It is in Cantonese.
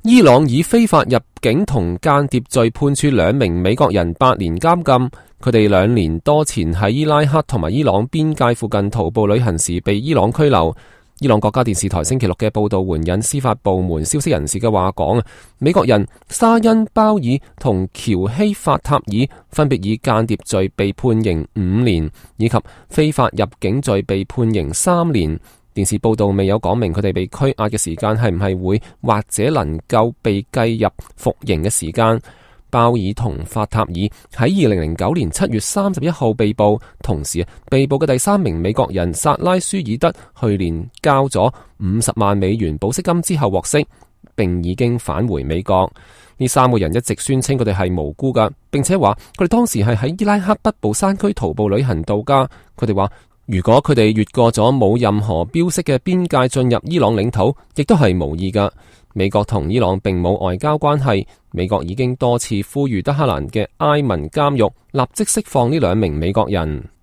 伊朗以非法入境同間諜罪判處2名美國人8年監禁，佢哋2年多前喺伊拉克同埋伊朗邊界附近徒步旅行時被伊朗拘留。伊朗國家電視台星期六嘅報道援引司法部門消息人士嘅話講，美國人沙恩鮑爾同喬希法塔爾分別以間諜罪被判刑5年，以及非法入境罪被判刑3年。電視報道未有講明佢哋被拘押嘅時間係唔係會或者能夠被計入服刑嘅時間。鮑爾同法塔爾喺2009年7月31號被捕，同時被捕嘅第3名美國人薩拉舒爾德去年交咗50萬美元保釋金之後獲釋，並已經返回美國。呢3個人一直宣稱佢哋係無辜噶，並且話佢哋當時係喺伊拉克北部山區徒步旅行度假。佢哋話如果佢哋越過咗冇任何標識嘅邊界進入伊朗領土，亦都係無意噶。美國同伊朗並冇外交關係，美國已經多次呼籲德黑蘭嘅埃文監獄立即釋放呢2名美國人。